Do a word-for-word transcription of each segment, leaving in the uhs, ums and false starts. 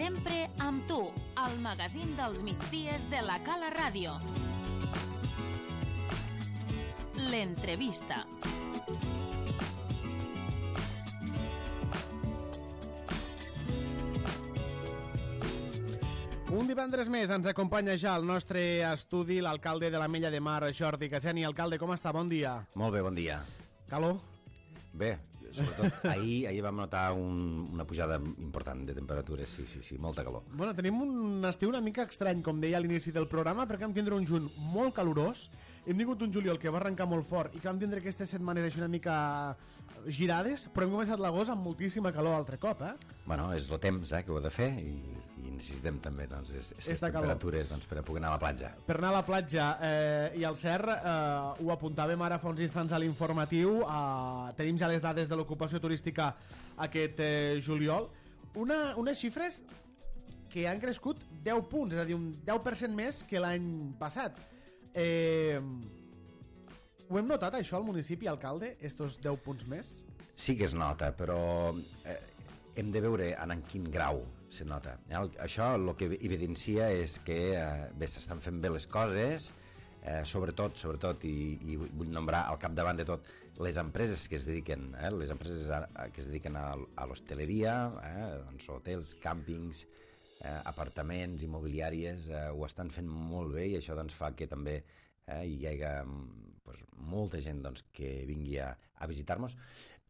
Sempre amb tu, al magazín dels migdies de la Cala Ràdio. L'entrevista. Un divendres més ens acompanya ja al nostre estudi l'alcalde de l'Ametlla de Mar, Jordi Caseni. Alcalde, com està? Bon dia. Molt bé, bon dia. Calor? Bé, sobretot ahir, ahir vam notar un, una pujada important de temperatures, sí, sí, sí, molta calor. Bueno, tenim un estiu una mica estrany, com deia a l'inici del programa, perquè vam tindre un juny molt calorós, hem tingut un juliol que va arrencar molt fort i que vam tindre aquestes setmanes així una mica girades, però hem començat l'agost amb moltíssima calor altre cop, eh? Bueno, és el temps eh, que ho he de fer i, i necessitem també doncs, aquestes temperatures doncs, per a poder anar a la platja. Per anar a la platja, eh, i al cert, eh, ho apuntàvem ara fa uns instants a l'informatiu, eh, tenim ja les dades de l'ocupació turística aquest eh, juliol, una, unes xifres que han crescut deu punts, és a dir, un deu per cent més que l'any passat. Eh, ho hem notat això al municipi, alcalde, estos deu punts més? Sí que es nota, però eh, hem de veure en quin grau se nota. El, això el que evidencia és que eh, bé, s'estan fent bé les coses, eh, sobretot, sobretot i, i vull nombrar al capdavant de tot les empreses que es dediquen, eh, les empreses a, a, que es dediquen a, a l'hostaleria, eh, doncs, hotels, càmpings, eh, apartaments, immobiliàries, eh, ho estan fent molt bé i això doncs, fa que també eh, hi hagi doncs, molta gent doncs, que vingui a, a visitar-nos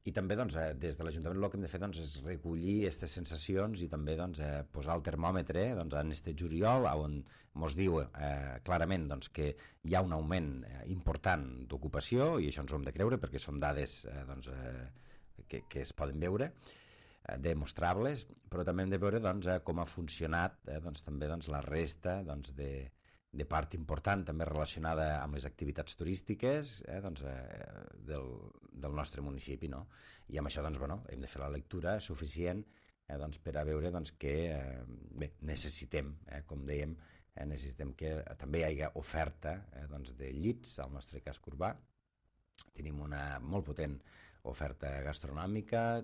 i també doncs, eh, des de l'Ajuntament el que hem de fer doncs, és recollir aquestes sensacions i també doncs, eh, posar el termòmetre doncs, en este juliol on ens diu eh, clarament doncs, que hi ha un augment eh, important d'ocupació i això ens ho hem de creure perquè són dades eh, doncs, eh, que, que es poden veure demostrables, però també hem de veure doncs, eh, com ha funcionat eh, doncs, també doncs, la resta doncs, de, de part important també relacionada amb les activitats turístiques eh, doncs, eh, del, del nostre municipi, no? I amb això doncs, bueno, hem de fer la lectura suficient eh, doncs, per a veure doncs, que eh, bé, necessitem, eh, com dèiem, eh, necessitem que també hi hagi oferta eh, doncs, de llits al nostre casc urbà. Tenim una molt potent oferta gastronòmica,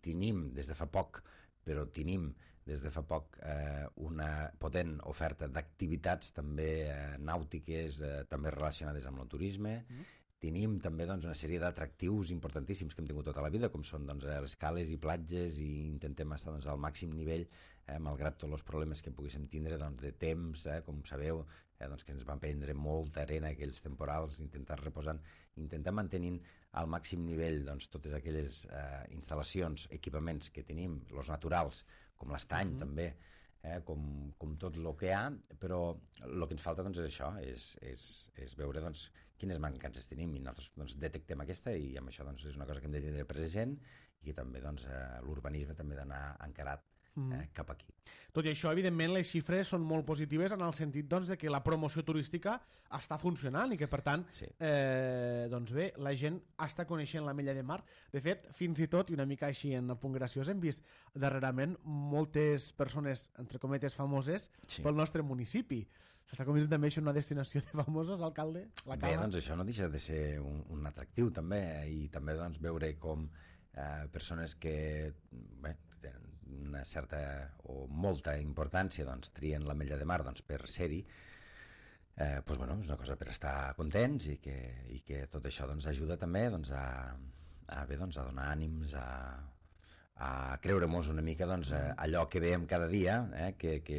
tenim des de fa poc, però tenim des de fa poc eh, una potent oferta d'activitats també eh, nàutiques, eh, també relacionades amb el turisme. Mm. Tenim també doncs, una sèrie d'atractius importantíssims que hem tingut tota la vida, com són doncs, les cales i platges, i intentem estar doncs, al màxim nivell, eh, malgrat tots els problemes que poguéssim tindre doncs, de temps, eh, com sabeu, eh, doncs, que ens van prendre molta arena aquells temporals, intentar reposant, intentar mantenint al màxim nivell doncs, totes aquelles eh, instal·lacions, equipaments que tenim, els naturals, com l'estany mm-hmm. també, eh, com, com tot el que hi ha, però el que ens falta doncs, és això, és, és, és veure doncs, quines mancances tenim i nosaltres doncs, detectem aquesta i amb això doncs, és una cosa que hem de tindre present i que també doncs, eh, l'urbanisme també ha d'anar encarat eh, cap aquí. Tot i això, evidentment, les xifres són molt positives en el sentit doncs, de que la promoció turística està funcionant i que, per tant, sí. eh, doncs bé, la gent està coneixent l'Ametlla de Mar. De fet, fins i tot, i una mica així en el punt graciós, hem vist darrerament moltes persones, entre cometes, famoses sí. pel nostre municipi. S'està convertint també això en una destinació de famosos, alcalde? La Bé, doncs això no deixa de ser un, un atractiu també i també doncs, veure com eh, persones que bé, tenen una certa o molta importància doncs, trien l'Ametlla de Mar doncs, per ser-hi, eh, doncs, bueno, és una cosa per estar contents i que, i que tot això doncs, ajuda també doncs, a, a, bé, doncs, a donar ànims, a a creure-mos una mica doncs, allò que veiem cada dia, eh, que, que,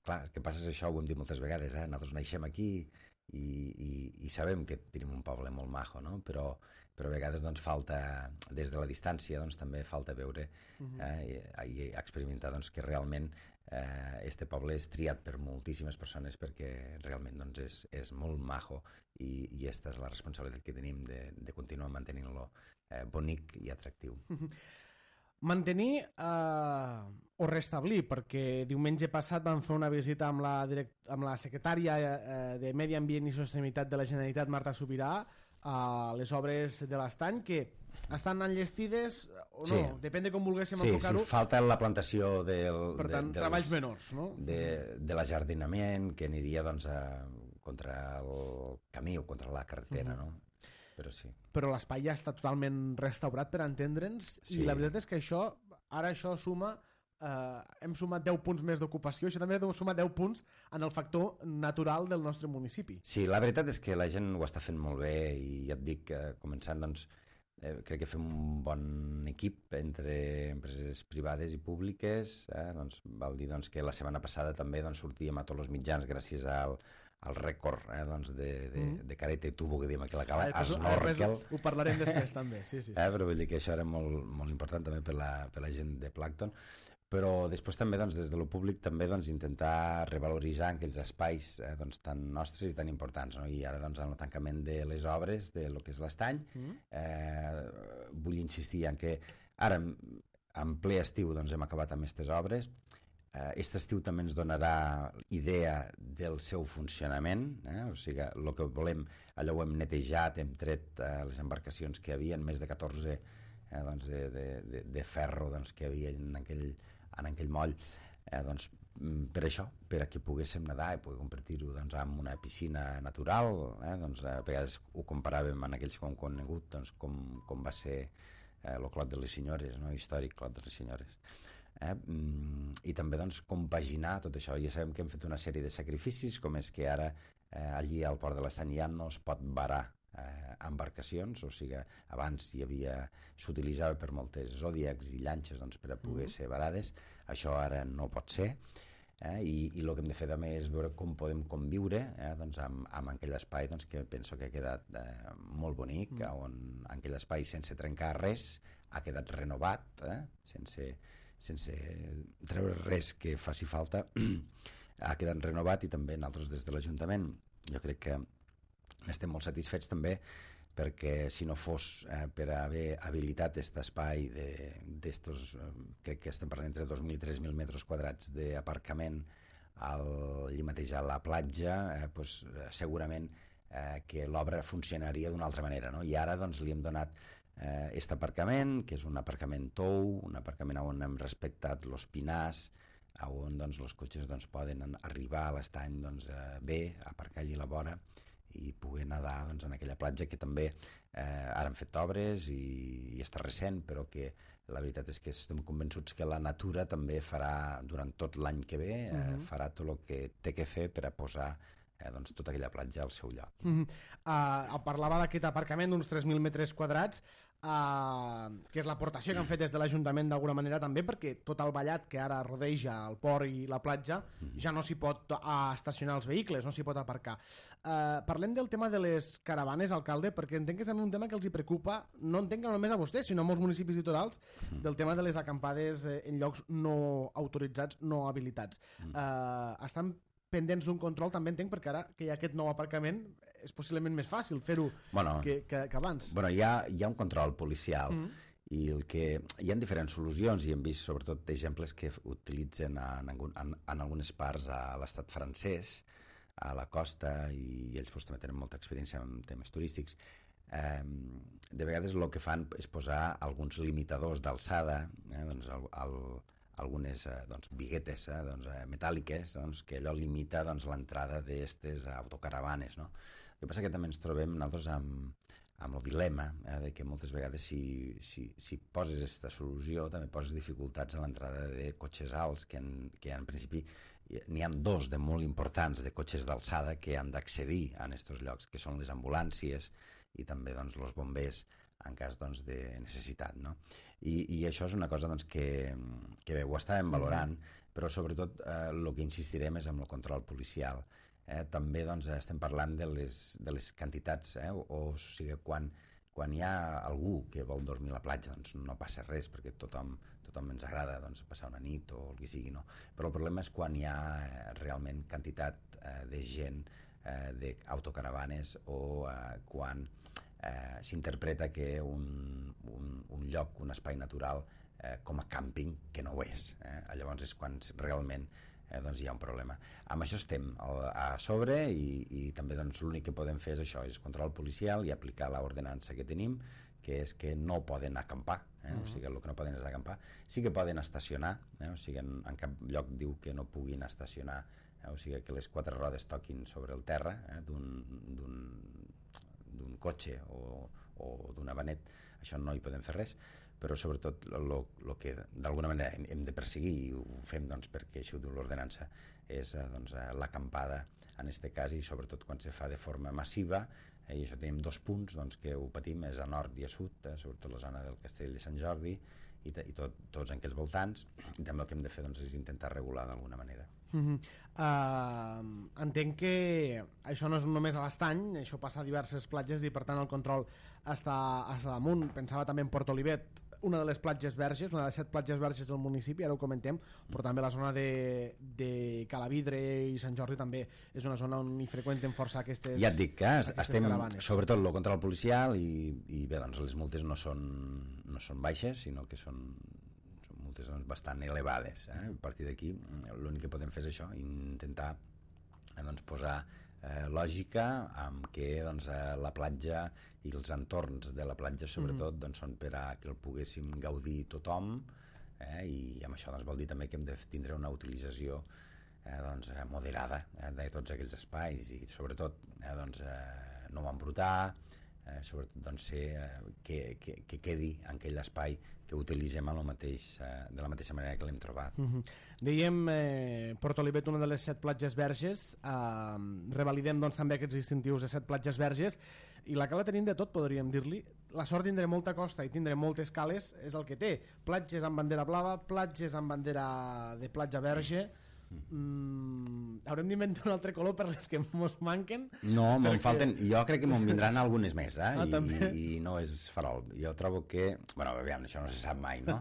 clar, que passa això, ho hem dit moltes vegades, eh, nosaltres naixem aquí i, i, i sabem que tenim un poble molt majo, no? però, però a vegades doncs, falta, des de la distància, doncs, també falta veure eh, i, i experimentar doncs, que realment eh, este poble és triat per moltíssimes persones perquè realment doncs, és, és molt majo i, i aquesta és la responsabilitat que tenim de, de continuar mantenint-lo eh, bonic i atractiu. Mantenir eh, o restablir, perquè diumenge passat vam fer una visita amb la, direct, amb la secretària eh, de Medi Ambient i Sostenibilitat de la Generalitat, Marta Subirà, a les obres de l'estany, que estan enllestides o no, sí. depèn de com volguéssim sí, enfocar-ho. Sí, falta la plantació del, per tant, de, treballs dels, menors, no? De, de l'ajardinament que aniria doncs, a, contra el camí o contra la carretera, uh-huh. no? Però sí. Però l'espai ja està totalment restaurat, per entendre'ns, sí. i la veritat és que això, ara això suma eh, hem sumat deu punts més d'ocupació, això també deu sumar deu punts en el factor natural del nostre municipi. Sí, la veritat és que la gent ho està fent molt bé i ja et dic, eh, començant, doncs, eh, crec que fem un bon equip entre empreses privades i públiques, eh? Doncs, val dir doncs, que la setmana passada també doncs, sortíem a tots els mitjans gràcies al, al rècord eh, doncs, de, de, mm. de careta i tubo que diem aquí a la cala, ah, snorkel. Ho parlarem després també, sí, sí. sí. Eh, però vull dir que això era molt, molt important també per la, per la gent de Plàncton. Però després també doncs, des de lo públic també doncs, intentar revaloritzar aquells espais eh, doncs, tan nostres i tan importants, no? I ara doncs, en el tancament de les obres de lo que és l'estany mm. eh, vull insistir en que ara en ple estiu doncs, hem acabat amb aquestes obres. Aquest eh, estiu també ens donarà idea del seu funcionament, eh? O sigui, el que volem, allò ho hem netejat, hem tret eh, les embarcacions que hi havia, més de catorze eh, doncs, de, de, de, de ferro doncs, que hi havia en aquell en aquell moll, eh, doncs, per això, per a que poguéssim nedar i poder convertir-ho doncs, en una piscina natural, eh, doncs, a vegades ho comparàvem en aquells que hem conegut doncs, com, com va ser eh, el Clot de les Senyores, no? Històric Clot de les Senyores. Eh? I també doncs, compaginar tot això. Ja sabem que hem fet una sèrie de sacrificis, com és que ara eh, allí al Port de l'Estany ja no es pot varar Eh, embarcacions, o sigui, abans hi havia, s'utilitzava per moltes zòdiacs i llanxes doncs, per a poder mm. ser varades, això ara no pot ser, eh, i, i el que hem de fer també és veure com podem conviure eh, doncs, amb, amb aquell espai doncs, que penso que ha quedat eh, molt bonic, mm. on aquell espai sense trencar res ha quedat renovat, eh, sense, sense treure res que faci falta, ha quedat renovat, i també nosaltres des de l'Ajuntament jo crec que estem molt satisfets també perquè si no fos eh, per haver habilitat aquest espai d'estos, eh, crec que estem parlant entre dos mil i tres mil metres quadrats d'aparcament allí mateix a la platja, eh, pues, segurament eh, que l'obra funcionaria d'una altra manera, no? I ara doncs, li hem donat aquest eh, aparcament, que és un aparcament tou, un aparcament on hem respectat els pinars, on doncs, els cotxes doncs, poden arribar a l'estany doncs, eh, bé, aparcar allí a la vora i poder nedar doncs, en aquella platja que també eh, ara han fet obres i, i està recent, però que la veritat és que estem convençuts que la natura també farà durant tot l'any que ve, eh, uh-huh. farà tot el que té que fer per a posar eh, doncs, tota aquella platja al seu lloc. Uh-huh. uh, parlava d'aquest aparcament d'uns tres mil metres quadrats, Uh, que és l'aportació que han fet des de l'Ajuntament d'alguna manera també, perquè tot el vallat que ara rodeja el port i la platja ja no s'hi pot uh, estacionar els vehicles, no s'hi pot aparcar. Uh, parlem del tema de les caravanes, alcalde, perquè entenc que és un tema que els hi preocupa, no entenc que no només a vostès, sinó a molts municipis litorals, del tema de les acampades eh, en llocs no autoritzats, no habilitats. Uh, estan pendents d'un control, també entenc, perquè ara que hi ha aquest nou aparcament és possiblement més fàcil fer-ho bueno, que, que, que abans. Bueno, hi ha, hi ha un control policial mm. i el que, hi ha diferents solucions i hem vist sobretot exemples que utilitzen en, en, en algunes parts a l'estat francès, a la costa, i, i ells pues, també tenen molta experiència en temes turístics. Eh, de vegades el que fan és posar alguns limitadors d'alçada, eh, doncs el, el algunes eh, doncs, biguetes eh, doncs, eh, metàl·liques doncs, que allò limita doncs, l'entrada d'aquestes autocaravanes. No? El que passa que també ens trobem nosaltres amb, amb el dilema eh, de que moltes vegades si, si, si poses aquesta solució també poses dificultats a l'entrada de cotxes alts, que en, que en principi n'hi ha dos de molt importants de cotxes d'alçada que han d'accedir a aquests llocs, que són les ambulàncies i també doncs, els bombers en cas doncs, de necessitat. No? I, I això és una cosa doncs, que, que bé, ho estàvem valorant, mm-hmm. però sobretot eh, el que insistirem és amb el control policial. Eh, també doncs, estem parlant de les, de les quantitats, eh, o, o, o sigui, quan, quan hi ha algú que vol dormir a la platja doncs no passa res, perquè tothom, tothom ens agrada doncs, passar una nit o el que sigui, no? Però el problema és quan hi ha eh, realment quantitat eh, de gent, eh, d'autocaravanes, o eh, quan Eh, s'interpreta que un, un, un lloc, un espai natural eh, com a càmping, que no ho és. Eh? Llavors és quan realment eh, doncs hi ha un problema. Amb això estem a sobre i, i també doncs, l'únic que podem fer és això, és control policial i aplicar l'ordenança que tenim, que és que no poden acampar, eh? Uh-huh. O sigui, el que no poden és acampar. Sí que poden estacionar, eh? O sigui, en, en cap lloc diu que no puguin estacionar, eh? O sigui, que les quatre rodes toquin sobre el terra eh? d'un d'un cotxe o, o d'una vanet, això no hi podem fer res, però sobretot el que d'alguna manera hem, hem de perseguir, i ho fem doncs, perquè així ho diu l'ordenança, és eh, doncs, eh, l'acampada en aquest cas, i sobretot quan se fa de forma massiva, eh, i això tenim dos punts doncs, que ho patim, és a nord i a sud, eh, sobretot la zona del Castell de Sant Jordi i, i tot, tots en aquells voltants, i també el que hem de fer doncs, és intentar regular d'alguna manera. Mm-hmm. uh, entenc que això no és només a l'Estany, això passa a diverses platges i per tant el control està, està damunt. Pensava també en Port Olivet, una de les platges verges, una de les set platges verges del municipi, ara ho comentem, però també la zona de, de Calavidre i Sant Jordi també és una zona on hi freqüenten força aquestes Ja et dic que estem, caravanes. Sobretot el control policial, i, i bé, doncs les multes no són, no són baixes, sinó que són multes doncs, bastant elevades. Eh? A partir d'aquí l'únic que podem fer és això, intentar eh, doncs, posar eh, lògica amb què doncs, eh, la platja i els entorns de la platja sobretot mm. doncs, són per a que el poguéssim gaudir tothom, eh? I amb això doncs, vol dir també que hem de tindre una utilització eh, doncs, eh, moderada eh, de tots aquells espais, i sobretot eh, doncs, eh, no embrutar, eh, sobretot doncs, ser, eh, que, que, que quedi en aquell espai que utilitzem a lo mateix, eh, de la mateixa manera que l'hem trobat. Mm-hmm. Dèiem eh, Port Olivet, una de les set platges verges, eh, revalidem doncs, també aquests distintius de set platges verges, i la cala tenim de tot, podríem dir-li. La sort tindre molta costa i tindre moltes cales és el que té. Platges amb bandera blava, platges amb bandera de platja verge. Mm, haurem d'inventar un altre color per les que ens manquen. No, me'n perquè... falten, jo crec que me'n vindran algunes més, eh? Ah, I, i, i no és farol. Jo trobo que, bueno, aviam, això no se sap mai, no?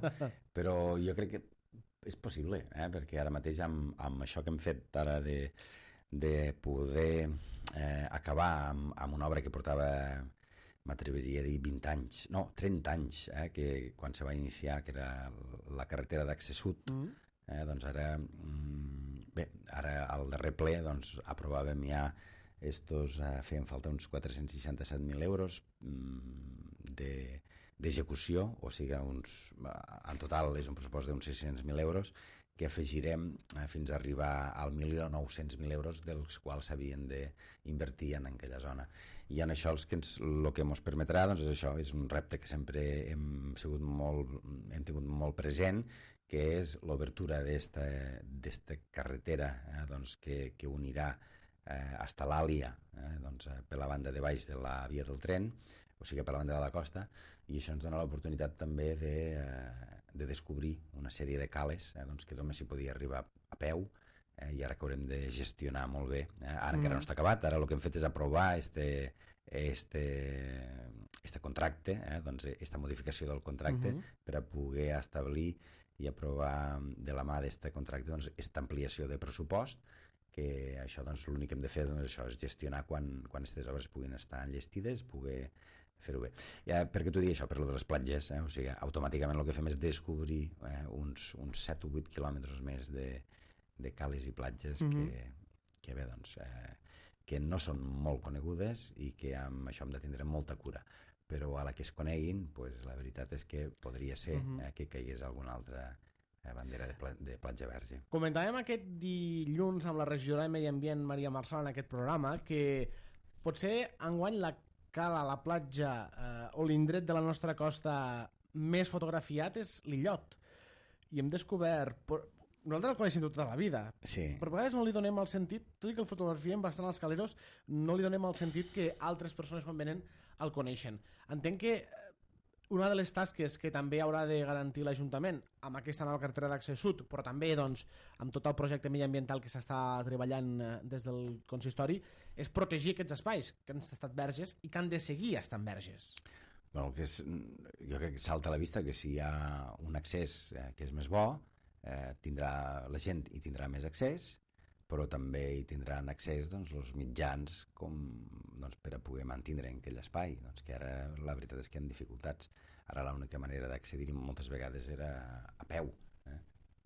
Però jo crec que és possible, eh? Perquè ara mateix amb, amb això que hem fet ara de, de poder eh, acabar amb, amb una obra que portava, m'atreviria a dir vint anys, no, trenta anys, eh? Que quan se va iniciar, que era la carretera d'accés sud, mm. Eh, doncs ara, bé, ara al darrer ple doncs, aprovàvem ja estos, eh, feien falta uns quatre-cents seixanta-set mil euros d'execució, de, o sigui, uns, en total és un pressupost d'uns sis-cents mil euros que afegirem eh, fins a arribar al milió nou-cents mil euros, dels quals s'havien d'invertir en aquella zona. I en això els que ens, el que ens permetrà doncs, és això, és un repte que sempre hem, sigut molt, hem tingut molt present, que és l'obertura d'esta carretera eh, doncs, que, que unirà eh, hasta l'Àlia, eh, doncs, per la banda de baix de la via del tren, o sigui, per la banda de la costa, i això ens dona l'oportunitat també de, eh, de descobrir una sèrie de cales eh, doncs, que només s'hi podia arribar a peu, eh, i ara que haurem de gestionar molt bé. Eh, ara mm. encara no està acabat, ara el que hem fet és aprovar este, este, este contracte, eh, doncs, esta modificació del contracte, mm-hmm. per a poder establir i aprovar de la mà d'aquest contracte doncs, aquesta ampliació de pressupost, que això doncs, l'únic que hem de fer doncs, això, és gestionar quan, quan aquestes obres puguin estar enllestides, poder fer-ho bé. Ja, per què t'ho dic això? Per lo de les platges, eh? O sigui, automàticament el que fem és descobrir eh, uns, uns set o vuit quilòmetres més de, de cales i platges mm-hmm. que, que bé, doncs, eh, que no són molt conegudes i que amb això hem de tindre molta cura. Però a la que es coneguin, pues, la veritat és que podria ser uh-huh. eh, que caigués alguna altra eh, bandera de, pla de platja verge. Comentàvem aquest dilluns amb la regidora de Medi Ambient, Maria Marsal, en aquest programa, que potser enguany la cala, la platja eh, o l'indret de la nostra costa més fotografiat és l'Illot. I hem descobert... Por... Nosaltres el coneixem tota la vida, sí. Però a vegades no li donem el sentit, tot i que el fotografiem bastant als caleros, no li donem el sentit que altres persones quan venen el coneixen. Entenc que una de les tasques que també haurà de garantir l'Ajuntament amb aquesta nova carretera d'accés sud, però també doncs, amb tot el projecte mediambiental que s'està treballant des del consistori, és protegir aquests espais que han estat verges i que han de seguir estant verges. Bueno, que és, jo crec que salta a la vista que si hi ha un accés eh, que és més bo, eh, tindrà la gent hi tindrà més accés, però també hi tindran accés doncs, els mitjans com, doncs, per a poder mantenir en aquell espai, doncs, que ara la veritat és que hi ha dificultats. Ara l'única manera d'accedir-hi moltes vegades era a peu. Eh?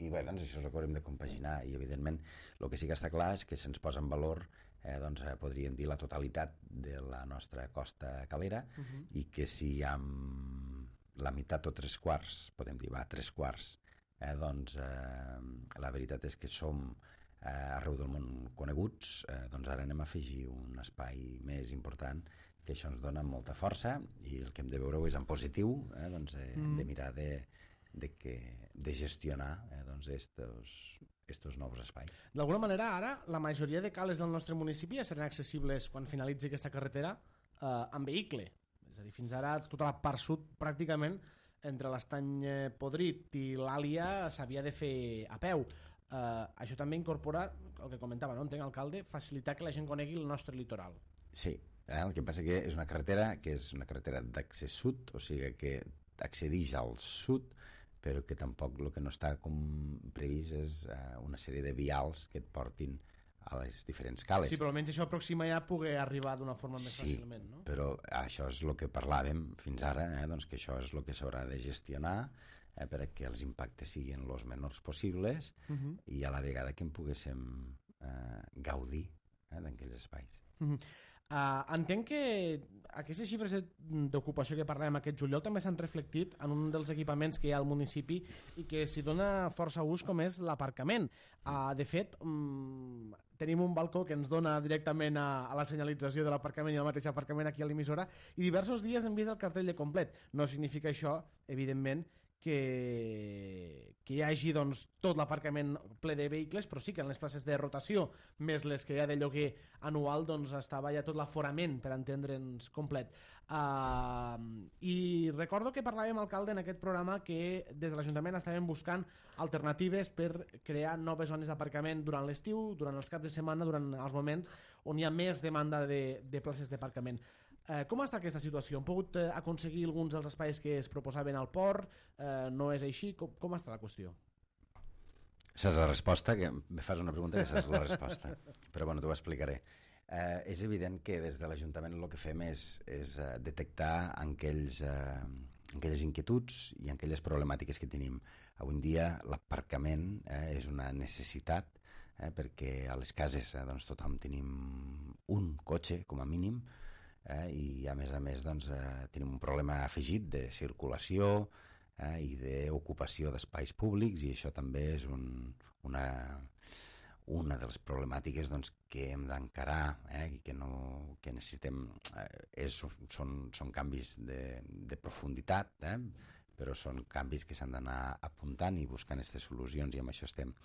I bé, doncs això és el que haurem de compaginar, i evidentment el que sí que està clar és que se'ns posa en valor, eh, doncs, eh, podríem dir, la totalitat de la nostra costa calera, uh-huh. i que si amb la meitat o tres quarts, podem dir, va, tres quarts, eh, doncs eh, la veritat és que som eh, arreu del món coneguts, eh, doncs ara anem a afegir un espai més important que això ens dona molta força i el que hem de veure és en positiu, eh, doncs, eh, mm. de mirar de, de, que, de gestionar eh, doncs estos, estos nous espais. D'alguna manera, ara, la majoria de cales del nostre municipi ja seran accessibles quan finalitzi aquesta carretera eh, amb vehicle. És a dir, fins ara tota la part sud pràcticament entre l'Estany Podrit i l'Àlia s'havia de fer a peu. Uh, això també incorpora, el que comentava, no? Entenc, alcalde, facilitar que la gent conegui el nostre litoral. Sí, eh? El que passa que és una carretera que és una carretera d'accés sud, o sigui que accedix al sud, però que tampoc el que no està com previst és uh, una sèrie de vials que et portin a les diferents cales. Sí, però almenys això aproxima ja a poder arribar d'una forma més sí, fàcilment, no? Però això és el que parlàvem fins ara, eh? Doncs que això és el que s'haurà de gestionar eh? perquè els impactes siguin els menors possibles uh -huh. i a la vegada que en poguéssim eh, gaudir eh? d'aquells espais. Uh -huh. Uh, entenc que aquestes xifres d'ocupació que parlem aquest juliol també s'han reflectit en un dels equipaments que hi ha al municipi i que s'hi dona força ús, com és l'aparcament. Uh, de fet, um, tenim un balcó que ens dona directament a, a la senyalització de l'aparcament i el mateix aparcament aquí a l'emissora, i diversos dies hem vist el cartell de complet. No significa això, evidentment, que, que hi hagi doncs, tot l'aparcament ple de vehicles, però sí que en les places de rotació, més les que hi ha de lloguer anual, doncs estava ja tot l'aforament, per entendre'ns, complet. Uh, I recordo que parlàvem, alcalde, en aquest programa que des de l'Ajuntament estaven buscant alternatives per crear noves zones d'aparcament durant l'estiu, durant els caps de setmana, durant els moments on hi ha més demanda de, de places d'aparcament. Eh, com està aquesta situació? Han pogut eh, aconseguir alguns dels espais que es proposaven al port? Eh, no és així? Com, com està la qüestió? Saps la resposta? Que me fas una pregunta que saps la resposta. Però bueno, t'ho explicaré. Eh, és evident que des de l'Ajuntament el que fem és, és eh, detectar aquells, eh, aquelles inquietuds i aquelles problemàtiques que tenim. Avui en dia l'aparcament eh, és una necessitat eh, perquè a les cases eh, doncs, tothom tenim un cotxe com a mínim. Eh, i a més a més doncs, eh, tenim un problema afegit de circulació eh, i d'ocupació d'espais públics, i això també és un, una, una de les problemàtiques doncs, que hem d'encarar eh, i que, no, que necessitem. Eh, és, són, són canvis de, de profunditat, eh, però són canvis que s'han d'anar apuntant i buscant aquestes solucions, i amb això estem.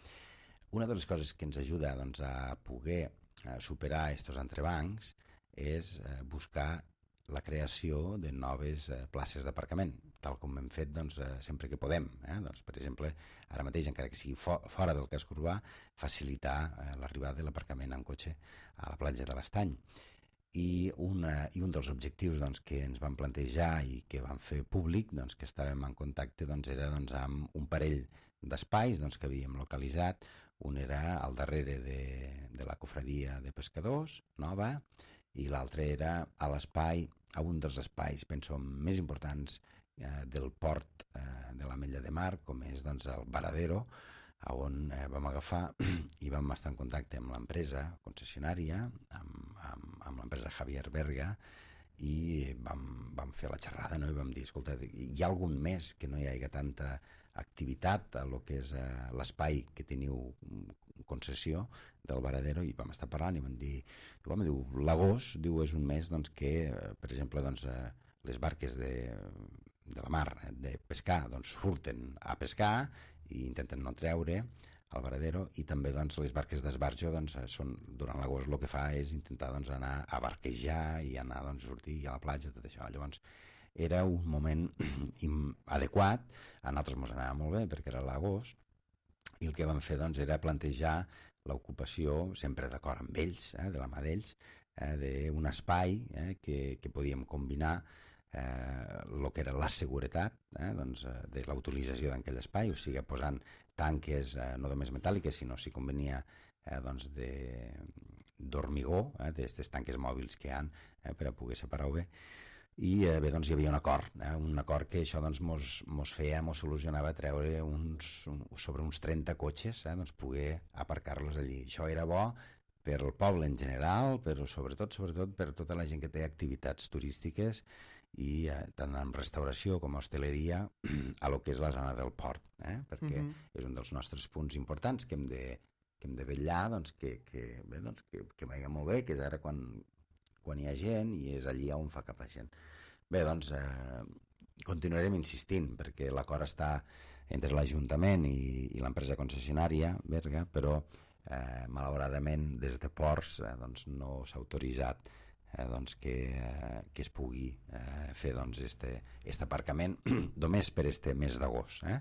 Una de les coses que ens ajuda doncs, a poder eh, superar aquests entrebancs és eh, buscar la creació de noves eh, places d'aparcament, tal com hem fet doncs, eh, sempre que podem. Eh? Doncs, per exemple, ara mateix, encara que sigui fo fora del casc urbà, facilitar eh, l'arribada de l'aparcament en cotxe a la platja de l'Estany. I, una, i un dels objectius doncs, que ens vam plantejar i que vam fer públic, doncs, que estàvem en contacte, doncs, era doncs, amb un parell d'espais doncs, que havíem localitzat. Un era al darrere de, de la cofradia de pescadors, nova, i l'altre era a l'espai, a un dels espais, penso, més importants eh, del port eh, de l'Ametlla de Mar, com és doncs, el Varadero, on eh, vam agafar i vam estar en contacte amb l'empresa concessionària, amb, amb, amb l'empresa Javier Berga, i vam, vam fer la xerrada, no? I vam dir, escolta, hi ha algun mes que no hi hagi tanta activitat a lo que és eh, l'espai que teniu concessió del Varadero, i vam estar parlant i vam dir, diu, diu, l'agost diu, és un mes doncs, que, eh, per exemple, doncs, eh, les barques de, de la mar eh, de pescar doncs, surten a pescar i intenten no treure al Varadero, i també doncs, les barques d'esbarjo doncs, són, durant l'agost el que fa és intentar doncs, anar a barquejar i anar doncs, a sortir a la platja, tot això. Llavors era un moment adequat, a nosaltres ens anava molt bé perquè era l'agost, i el que vam fer doncs, era plantejar l'ocupació, sempre d'acord amb ells, eh, de la mà d'ells, eh, d'un espai eh, que, que podíem combinar el eh, que era la seguretat eh, doncs, de la utilització d'aquell espai, o sigui, posant tanques eh, no només metàl·liques, sinó si convenia eh, doncs d'hormigó, eh, d'aquestes tanques mòbils que hi ha eh, per a poder separar-ho bé. I eh, bé, doncs hi havia un acord, eh, un acord que això doncs, mos, mos feia, mos solucionava treure uns, un, sobre uns trenta cotxes, eh, doncs poder aparcar-los allí. Això era bo per al poble en general, però sobretot, sobretot per tota la gent que té activitats turístiques, i eh, tant en restauració com a hostaleria a lo que és la zona del port, eh? Perquè uh-huh. és un dels nostres punts importants que hem de, que hem de vetllar doncs, que, que, bé, doncs, que, que vagi molt bé, que és ara quan, quan hi ha gent i és allí on fa cap la gent. Bé, doncs, eh, continuarem insistint, perquè l'acord està entre l'Ajuntament i, i l'empresa concessionària, Berga, però eh, malauradament des de Ports eh, doncs, no s'ha autoritzat eh, doncs, que, eh, que es pugui eh, fer doncs, este, este aparcament només per este mes d'agost. Eh?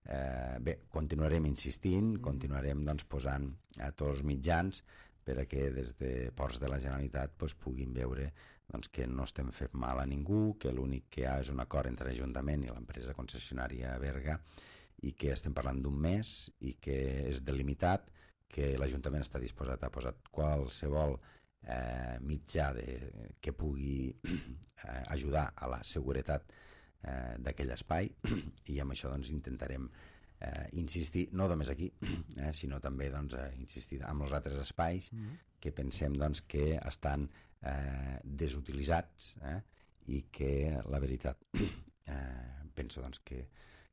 Eh, bé, continuarem insistint, continuarem doncs, posant a tots els mitjans perquè des de Ports de la Generalitat doncs, puguin veure doncs, que no estem fent mal a ningú, que l'únic que hi ha és un acord entre l'Ajuntament i l'empresa concessionària Berga i que estem parlant d'un mes i que és delimitat, que l'Ajuntament està disposat a posar qualsevol eh, mitjà de, que pugui eh, ajudar a la seguretat Eh, d'aquell espai i amb això doncs, intentarem eh, insistir, no només aquí, eh, sinó també doncs, eh, insistir amb els altres espais mm-hmm. que pensem doncs, que estan eh, desutilitzats eh, i que la veritat eh, penso doncs, que,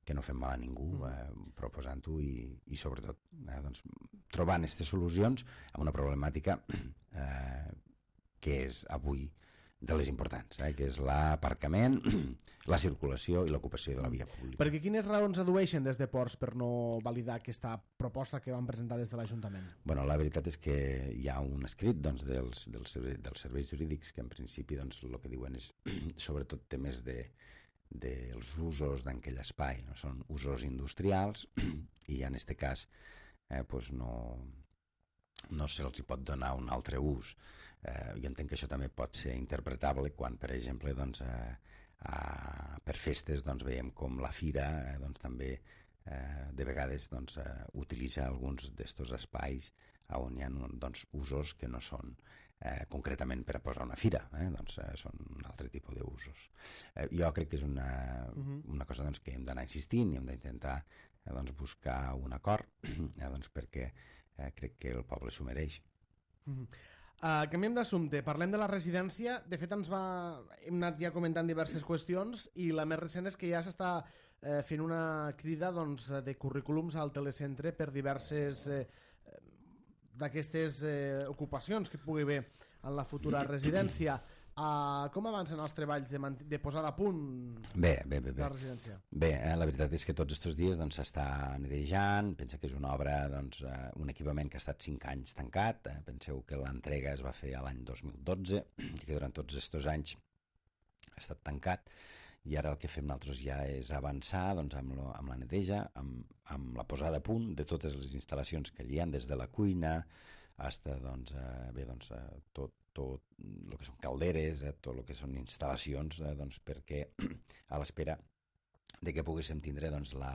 que no fem mal a ningú eh, proposant-ho i, i sobretot eh, doncs, trobant aquestes solucions a una problemàtica eh, que és avui de les importants, eh, que és l'aparcament, la circulació i l'ocupació de la via pública. Perquè quines raons adueixen des de Ports per no validar aquesta proposta que van presentar des de l'Ajuntament? Bueno, la veritat és que hi ha un escrit doncs, dels, dels, serveis, dels serveis jurídics que en principi doncs, el que diuen és sobretot temes de, dels usos d'aquell espai. No? Són usos industrials i en aquest cas eh, pues no, no se'ls pot donar un altre ús. Eh, jo entenc que això també pot ser interpretable quan, per exemple, doncs, eh, eh, per festes doncs, veiem com la fira eh, doncs, també eh, de vegades doncs, eh, utilitza alguns d'estos espais on hi ha doncs, usos que no són eh, concretament per a posar una fira, eh, doncs, eh, són un altre tipus d'usos. Eh, jo crec que és una, uh-huh. una cosa doncs, que hem d'anar insistint i hem d'intentar eh, doncs, buscar un acord eh, doncs, perquè eh, crec que el poble s'ho mereix. Uh-huh. Uh, canviem d'assumpte, parlem de la residència. De fet, ens va... hem anat ja comentant diverses qüestions i la més recent és que ja s'està eh, fent una crida doncs, de currículums al telecentre per diverses eh, d'aquestes eh, ocupacions que pugui haver en la futura residència. Uh, com avancen els treballs de, de posada a punt bé, bé, bé, bé. de la residència? Bé, eh, la veritat és que tots aquests dies doncs, s'està netejant, pensa que és una obra, doncs, eh, un equipament que ha estat cinc anys tancat, eh, penseu que l'entrega es va fer a l'any dos mil dotze i que durant tots aquests anys ha estat tancat i ara el que fem nosaltres ja és avançar doncs, amb, lo, amb la neteja, amb, amb la posada a punt de totes les instal·lacions que hi ha, des de la cuina fins a doncs, eh, bé, doncs, eh, tot tot el que són calderes, eh, tot el que són instal·lacions, eh, doncs, perquè a l'espera de que poguéssim tindre doncs, la,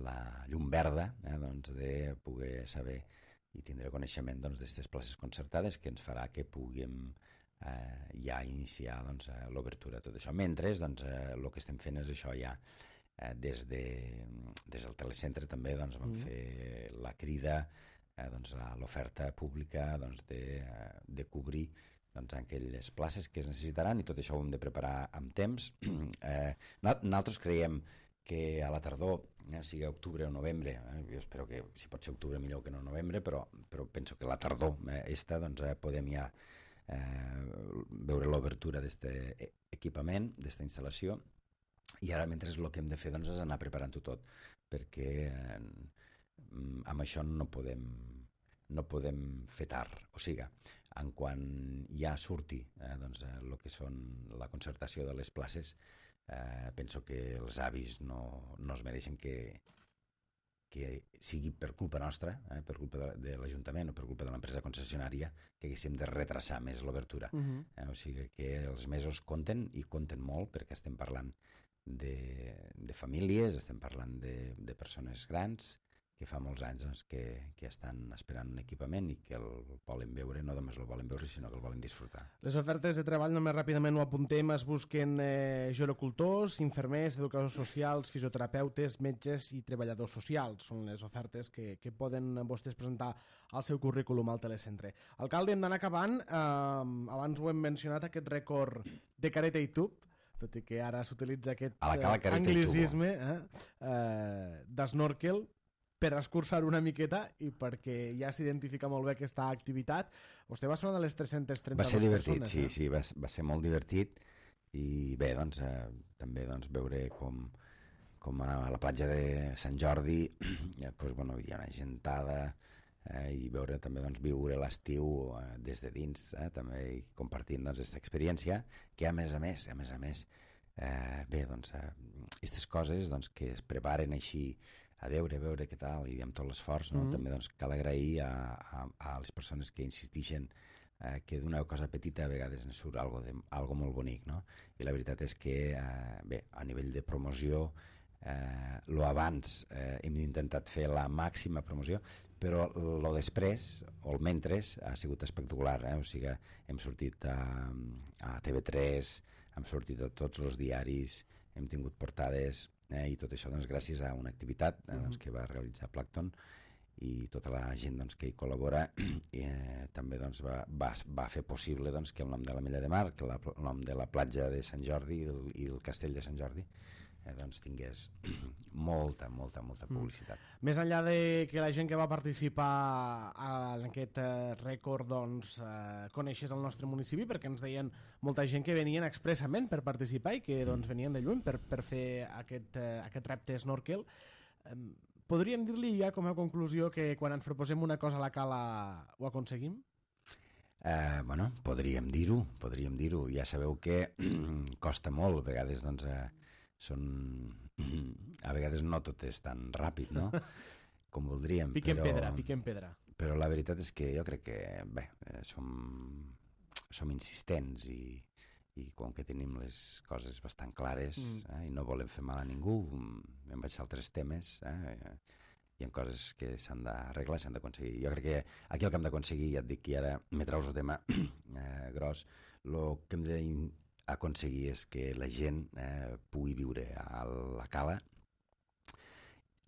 la llum verda, eh, doncs, de poder saber i tindre coneixement d'aquestes doncs, places concertades que ens farà que puguem eh, ja iniciar doncs, l'obertura de tot això. Mentre doncs, eh, el que estem fent és això ja eh, des, de, des del telecentre també doncs, vam mm. fer la crida Eh, doncs, a l'oferta pública doncs, de, de cobrir doncs, aquelles places que es necessitaran i tot això ho hem de preparar amb temps. Eh, nosaltres creiem que a la tardor, eh, sigui octubre o novembre, eh, jo espero que si pot ser octubre millor que no novembre, però, però penso que la tardor eh, esta, doncs, eh, podem ja eh, veure l'obertura d'aquest equipament, d'aquesta instal·lació, i ara mentre el que hem de fer doncs, és anar preparant-ho tot, perquè eh, amb això no podem, no podem fer tard. O sigui, en quan ja surti eh, doncs, el que són la concertació de les places, eh, penso que els avis no, no es mereixen que, que sigui per culpa nostra, eh, per culpa de, de l'Ajuntament o per culpa de l'empresa concessionària, que haguéssim de retrasar més l'obertura. Uh-huh. eh, o sigui que els mesos compten i compten molt, perquè estem parlant de, de famílies, estem parlant de, de persones grans, que fa molts anys doncs, que, que estan esperant un equipament i que el volen veure, no només el volen veure, sinó que el volen disfrutar. Les ofertes de treball, només ràpidament ho apuntem, es busquen eh, gerocultors, infermers, educadors socials, fisioterapeutes, metges i treballadors socials. Són les ofertes que, que poden vostès presentar al seu currículum al telecentre. Alcalde, hem d'anar acabant. Eh, abans ho hem mencionat, aquest rècord de careta i tub, tot i que ara s'utilitza aquest eh, anglicisme eh, eh, d'snorkel. per escurçar una miqueta i perquè ja s'identifica molt bé aquesta activitat. Vostè va ser una de les tres-centes trenta-dues va ser divertit, persones, sí, eh? sí, va, va ser molt divertit i bé, doncs, eh, també doncs, veure com, com a la platja de Sant Jordi eh, pues, bueno, hi ha una gentada eh, i veure també doncs, viure l'estiu eh, des de dins, eh, també i compartint doncs, aquesta experiència que a més a més, a més a més eh, bé, doncs, aquestes eh, coses doncs, que es preparen així a veure, a veure què tal i amb tot l'esforç, no? Mm-hmm. També doncs, cal agrair a, a, a les persones que insistixen eh, que d'una cosa petita a vegades en surt algo, de, algo molt bonic, no? I la veritat és que eh, bé, a nivell de promoció eh, lo abans eh, hem intentat fer la màxima promoció, però lo després o el mentres ha sigut espectacular, eh? O sigui, hem sortit a, a T V tres, hem sortit a tots els diaris, hem tingut portades eh? I tot això doncs, gràcies a una activitat eh, doncs, que va realitzar Plankton i tota la gent doncs, que hi col·labora eh, també doncs, va, va, va fer possible doncs, que el nom de la Mella de Mar, que la, el nom de la platja de Sant Jordi i el, i el castell de Sant Jordi eh, doncs, tingués molta, molta, molta publicitat. Mm. Més enllà de que la gent que va participar en aquest eh, rècord doncs, eh, coneixés el nostre municipi, perquè ens deien molta gent que venien expressament per participar i que doncs, venien de lluny per, per fer aquest, eh, aquest repte snorkel. Eh, Podríem dir-li ja com a conclusió que quan ens proposem una cosa a la cala ho aconseguim? Eh, bueno, podríem dir-ho, podríem dir-ho. Ja sabeu que costa molt, a vegades doncs, eh, són... a vegades no tot és tan ràpid, no? Com voldríem. Piquem però... pedra, piquem pedra. Però la veritat és que jo crec que, bé, eh, som, som insistents i, i com que tenim les coses bastant clares mm. eh, i no volem fer mal a ningú, em vaig a altres temes, eh, hi ha coses que s'han d'arreglar, s'han d'aconseguir. Jo crec que aquí el que hem d'aconseguir, ja et dic que ara me traus el tema eh, gros, el que hem d'aconseguir és que la gent eh, pugui viure a la cala,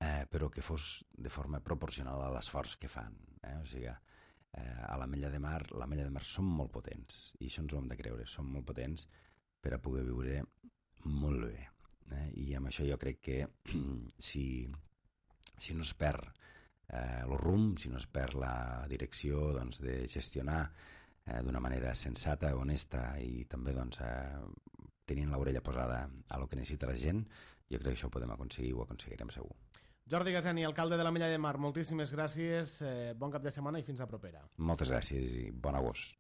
eh, però que fos de forma proporcional a l'esforç que fan. Eh? O sigui, eh, a la Mella de Mar, la Mella de Mar som molt potents, i això ens ho hem de creure, som molt potents per a poder viure molt bé. Eh? I amb això jo crec que si, si no es perd eh, el rumb, si no es perd la direcció doncs, de gestionar eh, d'una manera sensata, honesta i també doncs, eh, tenint l'orella posada a lo que necessita la gent, jo crec que això ho podem aconseguir i ho aconseguirem segur. Jordi Gaseni, alcalde de la Mella de Mar, moltíssimes gràcies, eh, bon cap de setmana i fins a propera. Moltes gràcies i bon agost.